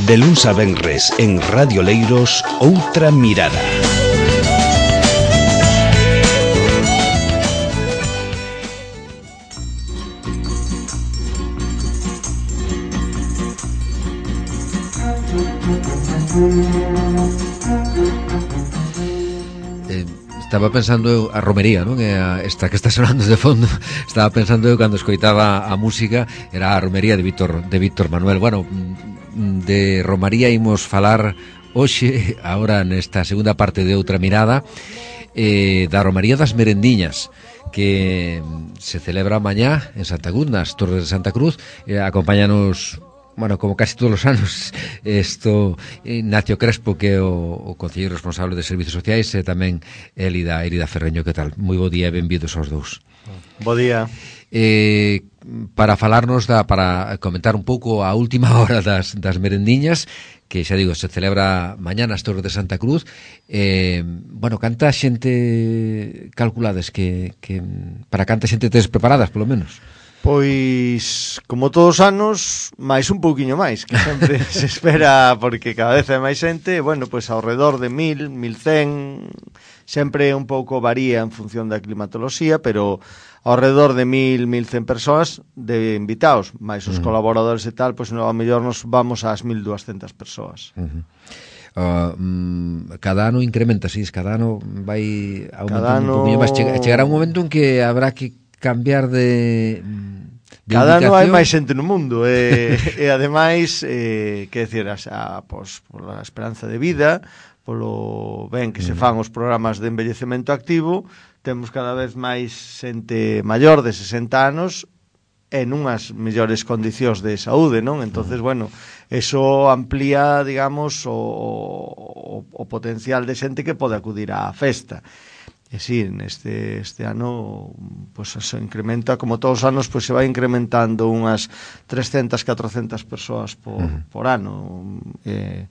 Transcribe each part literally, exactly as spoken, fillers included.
De luns a venres en Radio Leiros, Outra Mirada. Eh, estaba pensando eu, a romería, non? A esta que está sonando de fondo. Estaba pensando eu cando escoitaba a música, era a romería de Víctor de Víctor Manuel. Bueno, de romaría imos falar hoxe, agora nesta segunda parte de Outra Mirada, eh, da romaría das merendiñas, que se celebra mañá en Santa Cruz, nas Torres de Santa Cruz. Eh, acompáñanos, bueno, como casi todos os anos, esto Ignacio Crespo, que é o, o concelleiro responsable de Servicios Sociais, e tamén Elida, Elida Ferreño. Que tal? Moi bo día e benvidos aos dous. Bo día. Eh, para falarnos da, para comentar un pouco a última hora das, das merendiñas, que xa digo, se celebra mañá nas Torres de Santa Cruz. Eh, bueno, canta xente calculades que, que para canta xente tes preparadas, polo menos? Pois, como todos os anos, máis un pouquiño máis, que sempre se espera, porque cada vez hai máis xente. Bueno, pois ao redor de mil, mil cen, sempre un pouco varía en función da climatoloxía, pero ao redor de mil, mil cen persoas de invitados, máis os uh-huh. colaboradores e tal, pois no, a mellor nos vamos ás mil duascentas persoas. Uh-huh. Uh, mm, cada ano incrementa, sí, cada ano vai aumentando ano... un poquinho máis. Chegará un momento en que habrá que cambiar de, de cada ano hai máis xente no mundo e, e ademais eh, que decir, a, pois, pola esperanza de vida, polo ben que se fan os programas de envellecemento activo, temos cada vez máis xente maior de sesenta anos en unhas mellores condicións de saúde, non? Entonces, bueno, eso amplía, digamos, o, o, o potencial de xente que pode acudir á festa. E sí, neste este ano pois pues, se incrementa, como todos os anos, pois pues, se vai incrementando unhas trescentas, catrocentas persoas por, uh-huh. por ano. Eh,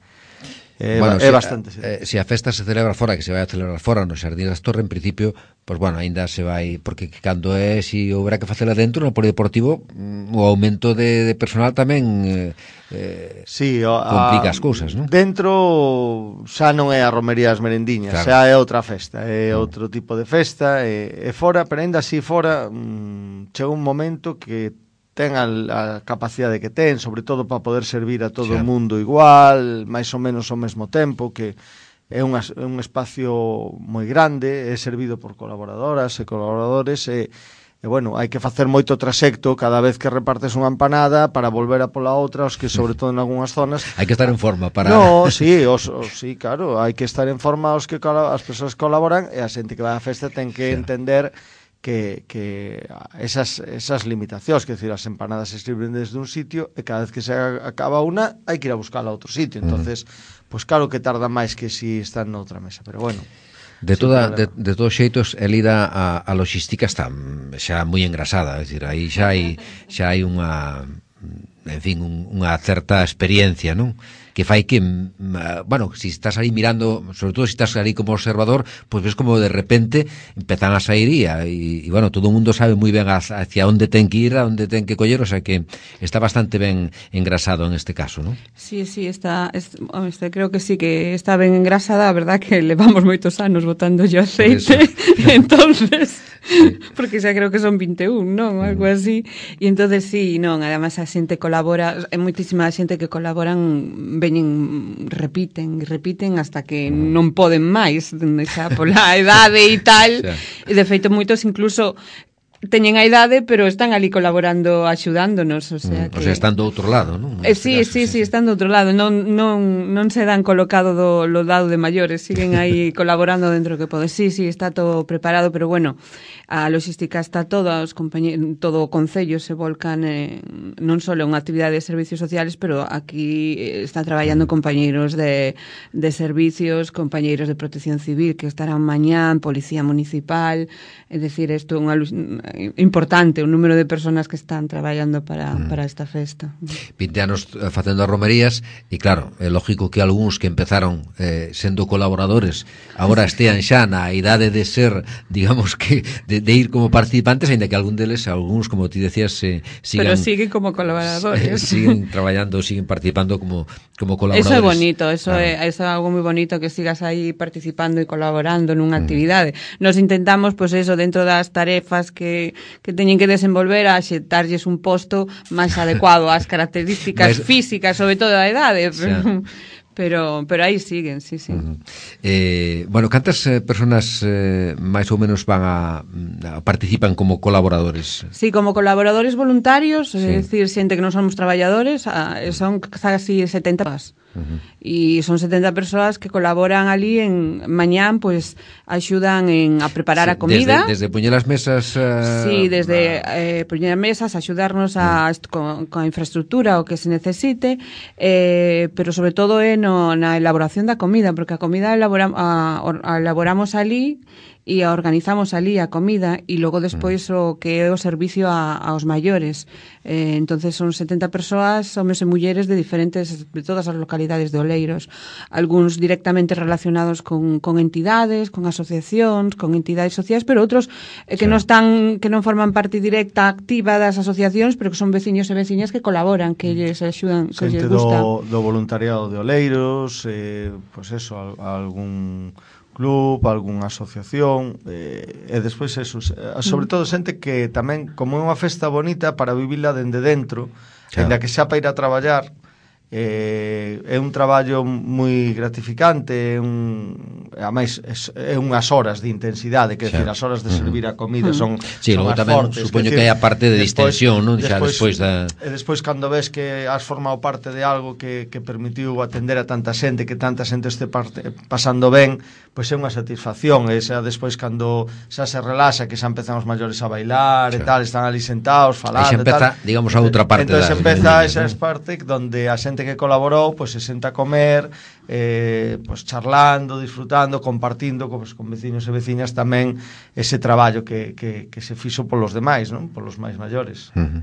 É, bueno, é se, bastante. Eh, se a festa se celebra fora, que se vai a celebrar fora no Xardín das Torres, en principio, pois pues, bueno, ainda se vai, porque cando é, si houbera que facela dentro no polideportivo, o aumento de, de personal tamén eh, sí, o, complica a, as cousas, non? Dentro xa non é a romería das merendiñas, claro. Xa é outra festa, é mm. outro tipo de festa, e, e fora, pero ainda así fora, mmm, chega un momento que ten a, a capacidade que ten, sobre todo para poder servir a todo o mundo igual, máis ou menos ao mesmo tempo, que é un, é un espacio moi grande, é servido por colaboradoras e colaboradores, e, e bueno, hai que facer moito trasecto cada vez que repartes unha empanada para volver a pola outra, os que sobre todo en algunhas zonas... Hai que estar en forma para... No, sí, os, os, sí, claro, hai que estar en forma os que as persoas que colaboran, e a xente que vai á festa ten que sí. entender... que, que esas, esas limitacións, que decir, as empanadas se sirven desde un sitio e cada vez que se acaba unha hai que ir a buscarla a outro sitio, entonces uh-huh. pois claro que tarda máis que si están noutra mesa, pero bueno. De toda de, de todos xeitos, Elida, a, a logística está xa moi engrasada, é dicir, aí xa hai xa hai unha, en fin, un, unha certa experiencia, non? Que fai que, bueno, si estás aí mirando, sobre todo si estás aí como observador, pues ves como de repente empezan a sair e, e bueno, todo o mundo sabe moi ben hacia onde ten que ir, a onde ten que coller, o sea que está bastante ben engrasado en este caso, ¿no? Sí, sí, está, este, creo que sí que está ben engrasada, a verdad que levamos moitos anos botando yo aceite, entonces, sí. Porque xa creo que son vinte e un, non? Algo mm. así, e entonces sí, non, además a xente colabora, é moitísima xente que colaboran veñen, repiten, repiten hasta que non poden máis, xa pola idade e tal, e de feito moitos incluso teñen a idade, pero están ali colaborando, axudándonos, o sea, que... O sea, están do outro lado, non? Eh, sí, caso, sí, sí, sí, están do outro lado, non non non se dan colocado do lo dado de maiores, siguen aí colaborando dentro que pode. Sí, sí, está todo preparado, pero bueno, a logística está toda, os compañeros, todo o concello se volcan eh, non só en unha actividade de servicios sociales, pero aquí está traballando compañeiros de, de servicios, compañeiros de protección civil que estarán mañán, policía municipal, é dicir, isto é unha importante o número de personas que están traballando para, mm. para esta festa. vinte anos facendo as romerías e claro, é lógico que algúns que empezaron eh, sendo colaboradores agora estean xa na idade de ser, digamos que de, de ir como participantes, ainda que algún deles, algúns, como ti decías, eh, sigan, pero siguen como colaboradores, eh, siguen traballando, siguen participando como, como colaboradores. Eso é bonito, eso, claro. é, eso é algo moi bonito, que sigas aí participando e colaborando nunha mm. actividade. Nos intentamos, pois pues eso, dentro das tarefas que, que teñen que desenvolver, a xetarlles un posto máis adecuado ás características Mas... físicas, sobre todo a idade. Pero, pero, pero aí siguen, sí, sí. Uh-huh. Eh, bueno, cantas eh, personas eh, máis ou menos van a, a participan como colaboradores? Sí, como colaboradores voluntarios, sí. É dicir, xente que non somos traballadores, a, son casi setenta persoas. Uh-huh. E son setenta persoas que colaboran ali en mañán, pois pues, axudan en a preparar sí, a comida. Desde, desde poñer as mesas uh, Sí, desde a... eh, poñer as mesas, axudarnos a, uh-huh. con, con a infraestructura o que se necesite, eh, pero sobre todo é no, na elaboración da comida, porque a comida elabora, a, a elaboramos ali e a organizamos ali a comida e logo despois o que é o servicio a, aos maiores. Eh, entonces son setenta persoas, homes e mulleres de diferentes, de todas as localidades de Oleiros. Algúns directamente relacionados con, con entidades, con asociacións, con entidades sociais, pero outros eh, que sí. non están, que non forman parte directa activa das asociacións, pero que son veciños e veciñas que colaboran, que lles axudan, que lles gusta. Do, do voluntariado de Oleiros, eh, pois pues eso, algún club, algunha asociación, eh, e despois eso, sobre todo xente que tamén, como é unha festa bonita para vivila dende dentro, claro. Ainda que xa para ir a traballar, eh, é un traballo moi gratificante, é un, ademais é unhas horas de intensidade, que decir, as horas de servir a comida son, sí, son as tamén fortes, supoño que hai a parte de despois, distensión, non? Xa despois da... E despois cando ves que has formado parte de algo que, que permitiu atender a tanta xente, que tanta xente este parte, pasando ben, pois é unha satisfacción, e xa despois cando xa se relaxa, que xa empezan os maiores a bailar, xa. E tal, están ali sentados falando, e xa empeza, tal, digamos, a outra parte. Entón da... empeza esa parte donde a xente que colaborou, pois se senta a comer, eh, pois charlando, disfrutando, compartindo pues, con veciños e veciñas tamén ese traballo que, que, que se fixo polos demais, non? Polos máis maiores. Uh-huh.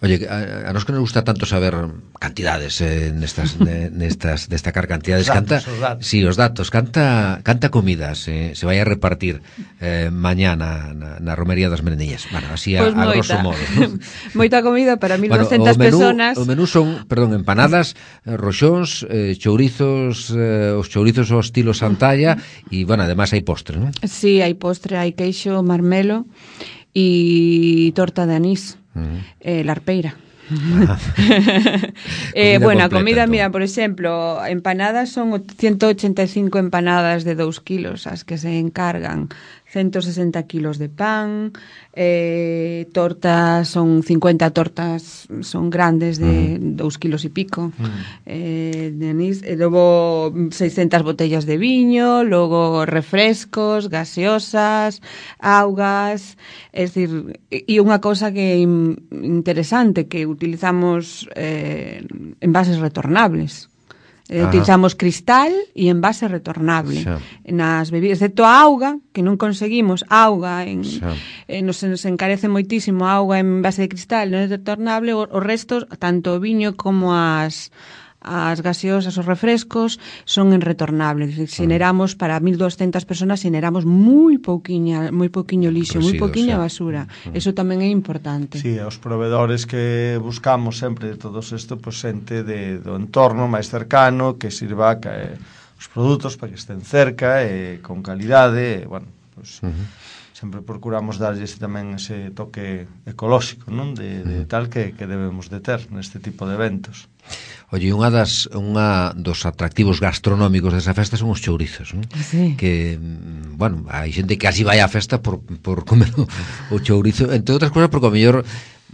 Oye, a, a nos que nos gusta tanto saber cantidades eh, nestas, ne, nestas destacar cantidades, datos, canta, os datos. Sí, os datos, canta canta comidas eh, se vai a repartir eh, mañana na, na romería das Merendiñas. Bueno, así a, pues a grosso modo, ¿no? Moita comida para mil novecientas bueno, personas. O menú son, perdón, empanadas, roxóns, eh, chourizos, eh, os chourizos ao estilo Santalla e, bueno, además hai postre, non? Sí, hai postre, hai queixo, marmelo e torta de anís, uh-huh. eh, larpeira. Ah. eh, bueno, a comida, mira, por exemplo, empanadas son ciento ochenta e cinco empanadas de dous kilos as que se encargan, ciento sesenta kilos de pan, eh, tortas, son cincuenta tortas, son grandes de uh-huh. dous kilos e pico, uh-huh. eh, de anís, e logo seiscentas botellas de viño, logo refrescos, gaseosas, augas, é dicir, e unha cousa que é interesante, que utilizamos eh, envases retornables. Eh, utilizamos cristal e envase retornable xa. Nas bebidas, excepto a auga, que non conseguimos auga en, eh, nos, nos encarece moitísimo a auga en envase de cristal, non é retornable, os restos, tanto o viño como as as gaseosas, os refrescos son en retornable, es decir, xeneramos para mil doscientas personas, xeneramos moi pouquiña, moi pouquiño lixo, moi pouquiña basura. Eso tamén é importante. Sí, os provedores que buscamos sempre de todos isto, pois xente de do entorno máis cercano que sirva que eh, os produtos para que estén cerca e eh, con calidade, e, bueno, pois uh-huh. sempre procuramos darlles tamén ese toque ecolóxico, non? De, de tal que, que debemos de ter neste tipo de eventos. Oye, unha das unha dos atractivos gastronómicos desa festa son os chourizos, non? Sí. Que, bueno, hai xente que así vai á festa por, por comer o, o chourizo, entre outras cousas porque o mellor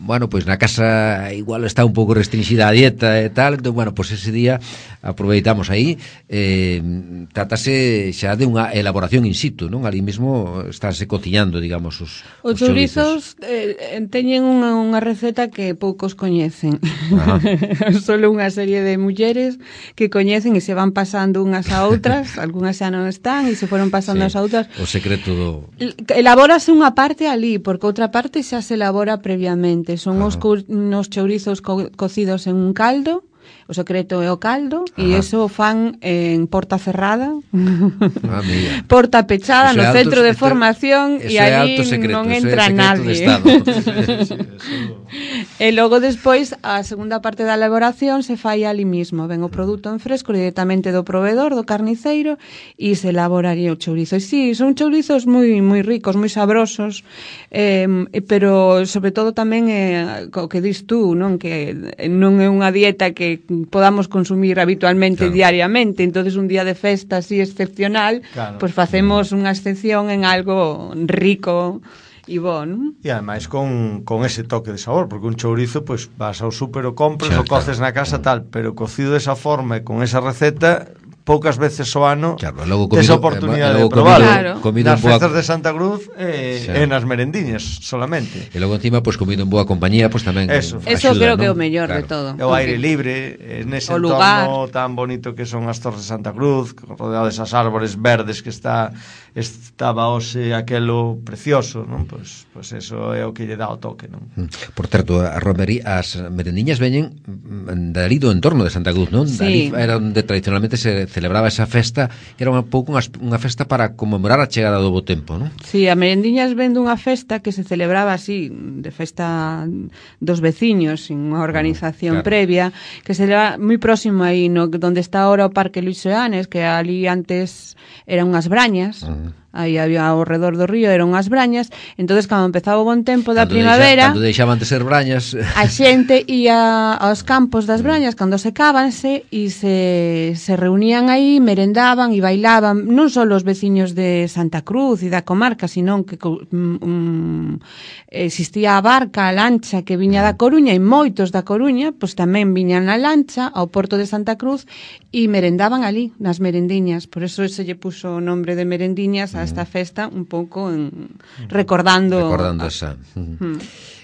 bueno, pois pues na casa igual está un pouco restringida a dieta e tal, entón, bueno, pois pues ese día aproveitamos aí, eh, trátase xa de unha elaboración in situ, non? Ali mesmo estáse cociñando, digamos, os, os, os chourizos. Eh, teñen unha, unha receta que poucos coñecen. Solo unha serie de mulleres que coñecen e se van pasando unhas a outras, algunhas xa non están e se foron pasando sí, as outras. O secreto do... Elabórase unha parte ali, porque outra parte xa se elabora previamente. Son os, os chourizos co cocidos en un caldo. O secreto é o caldo e iso fan en porta cerrada, ah, porta pechada no centro de formación e ali non entra nadie. E logo despois a segunda parte da elaboración se fai ali mismo, ven o produto en fresco directamente do proveedor, do carniceiro e se elaboraría o chourizo. E si, sí, son chourizos moi moi ricos, moi sabrosos, eh, pero sobre todo tamén é o que dis tú, non, que non é unha dieta que podamos consumir habitualmente, claro, diariamente, entonces un día de festa así excepcional, claro, pues facemos unha excepción en algo rico e bon. E ademais con, con ese toque de sabor, porque un chourizo, pues vas ao súper o compras, o coces na casa tal, pero cocido de esa forma e con esa receta poucas veces o ano, claro, logo tes a oportunidade de probar, claro, nas festas de Santa Cruz e eh, nas merendiñas solamente. E logo encima, pois, pues, comido en boa compañía, pois pues, tamén eso, eso creo, ¿no?, que é o mellor, claro, de todo. O aire libre, en ese o entorno lugar tan bonito que son as Torres de Santa Cruz, rodeado desas árbores verdes que está estaba hoxe aquelo precioso, non? Pois, pois eso é o que lle dá o toque, non? Por certo, a romería, as merendiñas veñen dali do entorno de Santa Cruz, non? Sí. Dali era onde tradicionalmente se celebraba esa festa, que era un pouco unha, unha festa para conmemorar a chegada do bo tempo, non? Sí, a merendiñas ven dunha festa que se celebraba así, de festa dos veciños, sin unha organización, claro, previa, que se leva moi próximo aí, no, donde está ahora o Parque Luis Seanes, que ali antes eran unhas brañas, uh-huh, aí había ao redor do río, eran unhas brañas, entonces cando empezaba o bon tempo da cando primavera, deixa, cando deixaban de ser brañas, a xente ia aos campos das brañas cando secábanse e se, se reunían aí, merendaban e bailaban, non só os veciños de Santa Cruz e da comarca, sino que um, existía a barca, a lancha que viña da Coruña, e moitos da Coruña pois tamén viñan na lancha ao porto de Santa Cruz e merendaban ali, nas merendiñas, por eso se lle puso o nombre de merendiñas a esta festa, un pouco en, recordando recordando a, esa. Uh-huh.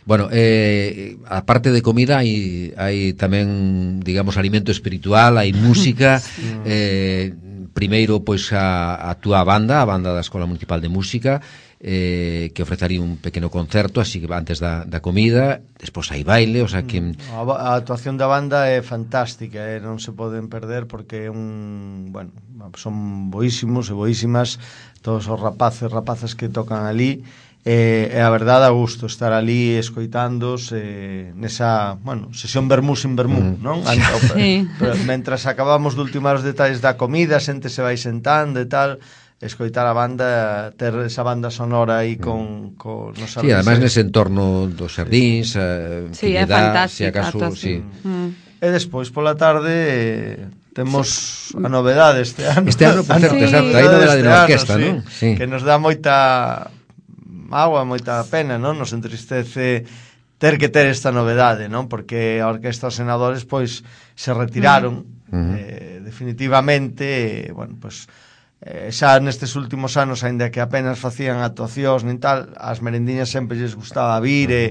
Bueno, eh, aparte de comida hai, hai tamén, digamos, alimento espiritual, hai música, sí, eh, primeiro, pois, a, a túa banda, a banda da Escola Municipal de Música, eh, que ofrecería un pequeno concerto así que antes da, da comida, despois hai baile, o sea que... A, a actuación da banda é fantástica, eh, non se poden perder porque é un... bueno, son boísimos e boísimas todos os rapaces, rapazas que tocan ali, e, e a verdade a gusto estar ali escoitándos eh, nesa, bueno, sesión vermú sin vermú, mm, non? Sí. Pero, mentras acabamos de ultimar os detalles da comida, a xente se vai sentando e tal, escoitar a banda, ter esa banda sonora aí con, con no sí, además nese entorno dos xardíns, eh, sí, é fantástica, si acaso, sí. Mm. E despois pola tarde eh, temos sí. a novedade este ano. Este ano, por certo, sí. Exacto, hai novedade na orquesta, sí, non? Sí. Que nos dá moita agua, moita pena, non? Nos entristece ter que ter esta novedade, non? Porque a orquesta os senadores pois se retiraron mm. eh, definitivamente, eh, bueno, pois eh, xa nestes últimos anos, aínda que apenas facían actuacións nin tal, as merendiñas sempre lles gustaba vir e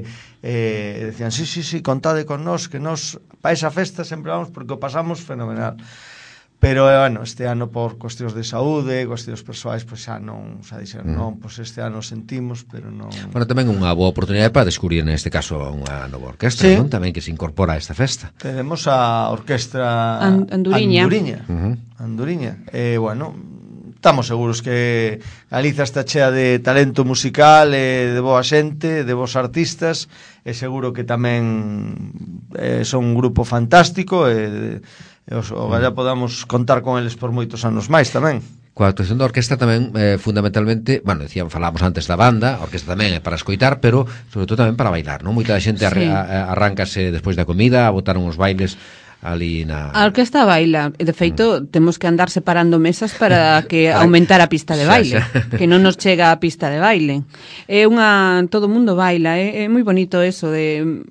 eh, decían, sí, sí, sí, contade con nós, que nós pa esa festa sempre vamos porque o pasamos fenomenal. Pero, eh, bueno, este ano por cuestións de saúde, cuestións persoais, pois xa non, xa dixeron, mm. non, pois este ano sentimos, pero non... Bueno, tamén unha boa oportunidade para descubrir neste caso unha nova orquestra, sí, non? Tamén que se incorpora a esta festa. Tenemos a orquestra And Anduriña. Anduriña. Uh-huh. Anduriña. Eh, bueno, estamos seguros que Galiza está chea de talento musical, e de boa xente, de bons artistas, e seguro que tamén eh, son un grupo fantástico, e... e os, o galla podamos contar con eles por moitos anos máis tamén. Coa actuación da orquesta tamén, eh, fundamentalmente, bueno, decían, falábamos antes da banda, a orquesta tamén é para escoitar, pero sobre todo tamén para bailar, non? Moita xente sí. arre, a, arráncase despois da comida, a botar uns bailes ali na... A orquesta baila, de feito, mm. temos que andar separando mesas para que aumentar a pista de baile, xa, xa. Que non nos chega a pista de baile. É unha... todo o mundo baila, é, é moi bonito eso de...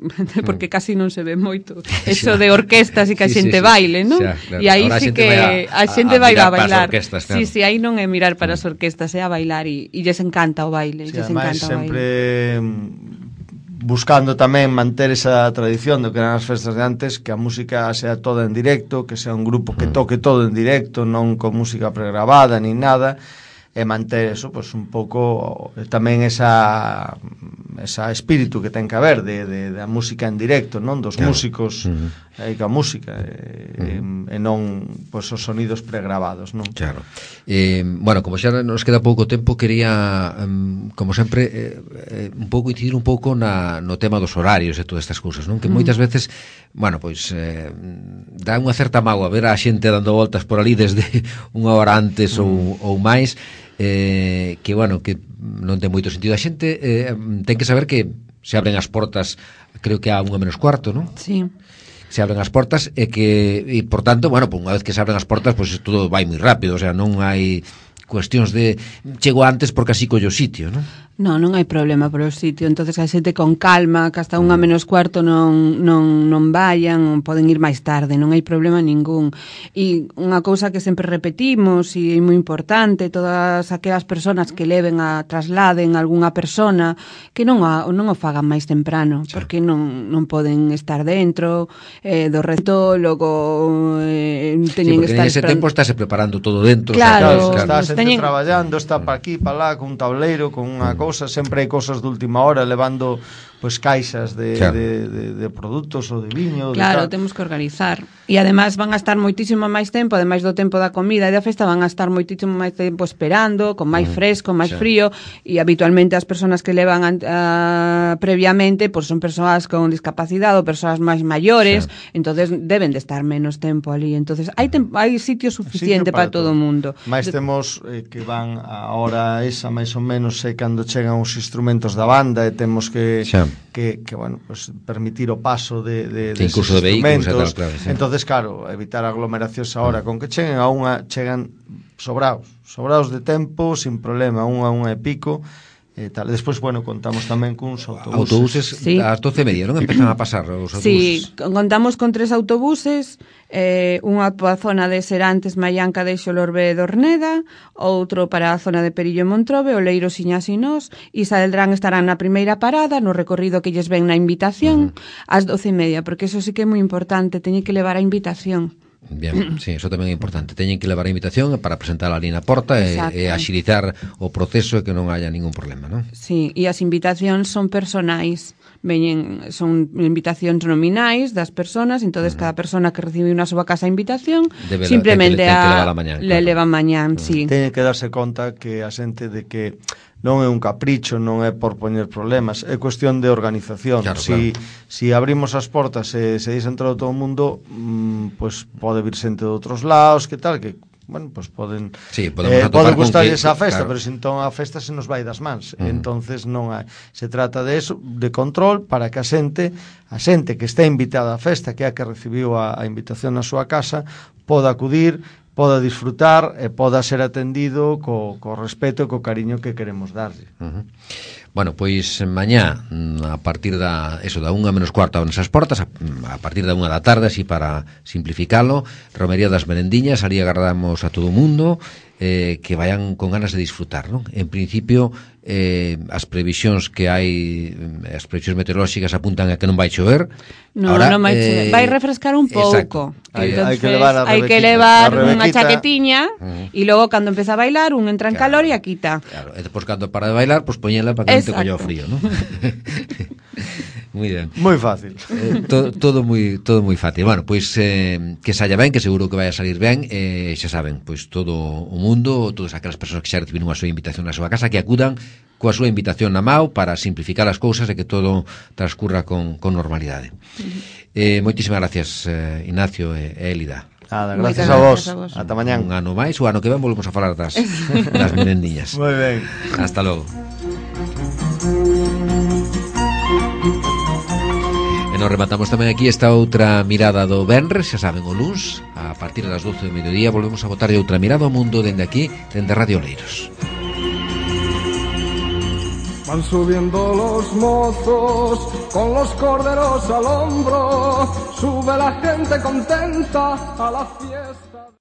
porque casi non se ve moito, eso xa. De orquestas e que a sí, xente sí, sí. baile, non? Xa, claro. E aí sí que a, a xente vai a, a bailar. Orquestas, claro. Sí, sí, aí non é mirar para as orquestas, é a bailar e, e lles encanta o baile, sí, lles encanta o sempre... baile. Buscando tamén manter esa tradición do que eran as festas de antes, que a música sea toda en directo, que sea un grupo que toque todo en directo, non con música pregrabada ni nada, e manter eso, pues un pouco tamén esa esa espírito que ten que haber de, de, de a música en directo, non? Dos claro. músicos uh-huh. e ca música e, uh-huh. e non pues, os sonidos pregrabados, non? Claro. Eh, bueno, como xa nos queda pouco tempo, quería um, como sempre eh, eh, un pouco incidir un pouco na, no tema dos horarios e todas estas cousas, non? Que uh-huh. moitas veces, bueno, pois eh, dá unha certa mágoa ver a xente dando voltas por ali desde unha hora antes uh-huh. ou, ou máis. Eh, que, bueno, que non ten moito sentido. A xente eh, ten que saber que se abren as portas, creo que a unha menos cuarto, non? Sí. Se abren as portas e que, e por tanto, bueno, pues unha vez que se abren as portas, pues todo vai moi rápido, o sea, non hai cuestións de chego antes porque así collo sitio, non? Non, non hai problema por o sitio, entonces a xente con calma, que hasta unha menos cuarto non, non, non vayan, poden ir máis tarde, non hai problema ningún. E unha cousa que sempre repetimos e é moi importante, todas aquelas persoas que leven a trasladen a algunha persona, que non, a, non o fagan máis temprano, sí. Porque non, non poden estar dentro eh, do reto, logo eh, teñen sí, que estar... en ese esperando... tempo estáse preparando todo dentro. Claro, o sea, claro. Está teñen... traballando, está pa aquí, pa lá, con un tableiro, con unha mm. cousa, sempre hai cosas de última hora levando pois caixas de, claro. de, de, de produtos ou de viño. Claro, de temos que organizar. E ademais van a estar moitísimo máis tempo, ademais do tempo da comida e da festa, van a estar moitísimo máis tempo esperando, con máis mm. fresco, máis sí. frío, e habitualmente as persoas que levan uh, previamente, pois son persoas con discapacidade ou persoas máis maiores, sí. entonces deben de estar menos tempo ali. Entonces hai tem- hai sitio suficiente sitio para, para todo o mundo. Mais temos eh, que van a hora esa máis ou menos é cando chegan os instrumentos da banda e temos que sí. que, que bueno, pues, permitir o paso de, de, de incluso de vehículos tal, claro, sí. Entonces, claro, evitar aglomeracións ahora mm. con que cheguen a unha, chegan sobrados sobrados de tempo, sin problema, unha, unha e pico e tal. Despois, bueno, contamos tamén cuns autobuses. Autobuses sí. ás doce e media, non empezan a pasar os autobuses? Sí, contamos con tres autobuses, eh, unha para a zona de Serantes, Maianca de Xolorbe e Dorneda, outro para a zona de Perillo e Montrobe, Oleiro, Siñas e Nós, e Saeldrán estarán na primeira parada, no recorrido que lles ven na invitación, uh-huh. ás doce e media, porque eso sí que é moi importante, teñen que levar a invitación. Bien, sí, eso tamén é importante. Teñen que levar a invitación para presentar ali na porta e, e axilizar o proceso e que non haya ningún problema, non? Sí, e as invitacións son personais. Veñen, son invitacións nominais das persoas, entonces uh-huh. cada persona que recibe unha súa casa invitación Debe simplemente la, a, mañán, le claro. leva mañán, uh-huh. sí. Teñen que darse conta que a xente de que non é un capricho, non é por poñer problemas, é cuestión de organización. Claro, si, claro. si abrimos as portas e se deixa entrar todo o mundo, mmm, pues pode vir xente de outros lados, que tal, que bueno, pues poden sí, eh, pode gustarlles que, a festa, claro. pero se entón a festa se nos vai das mans. Uh-huh. Entonces non hai, se trata de eso, de control para que a xente, a xente que está invitada á festa, que é a que recibiu a, a invitación na súa casa, poda acudir, poda disfrutar e poda ser atendido co, co respeto e co cariño que queremos darlle. Uh-huh. Bueno, pois mañá a partir da eso da unha menos cuarto nesas portas, a, a partir da unha da tarde, así para simplificalo, romería das merendiñas, ali agardamos a todo o mundo eh, que vayan con ganas de disfrutar, non? En principio eh, as previsións que hai, as previsións meteorolóxicas apuntan a que non vai chover. No, Ahora, non vai chover, eh, vai refrescar un pouco. Hai, hai que levar, a hai que levar unha chaquetiña uh-huh. e logo cando empeza a bailar un entra en claro, calor e a quita. Claro, e depois cando para de bailar, pois pues, poñela para que non te colla o frío, non? Muy ben. Moi fácil. Eh, to, todo moi todo moi fácil. Bueno, pois eh, que saia ben, que seguro que vai a salir ben, eh, xa saben, pois todo o mundo, todas aquelas persoas que xa recibiron a súa invitación na súa casa, que acudan coa súa invitación na mao para simplificar as cousas e que todo transcurra con, con normalidade. Uh-huh. Eh, moitísimas gracias, eh, Ignacio e eh, Élida. Nada, gracias a vos. a vos. Ata mañán. Un ano máis, o ano que ven volvemos a falar das, das merendiñas. Moi ben. Hasta logo. E nos rematamos tamén aquí esta outra mirada do venres, xa saben, o luns, a partir das doce do mediodía, volvemos a botar outra mirada ao mundo dende aquí, dende Radio Oleiros. Van subiendo los mozos con los corderos al hombro, sube la gente contenta a la fiesta.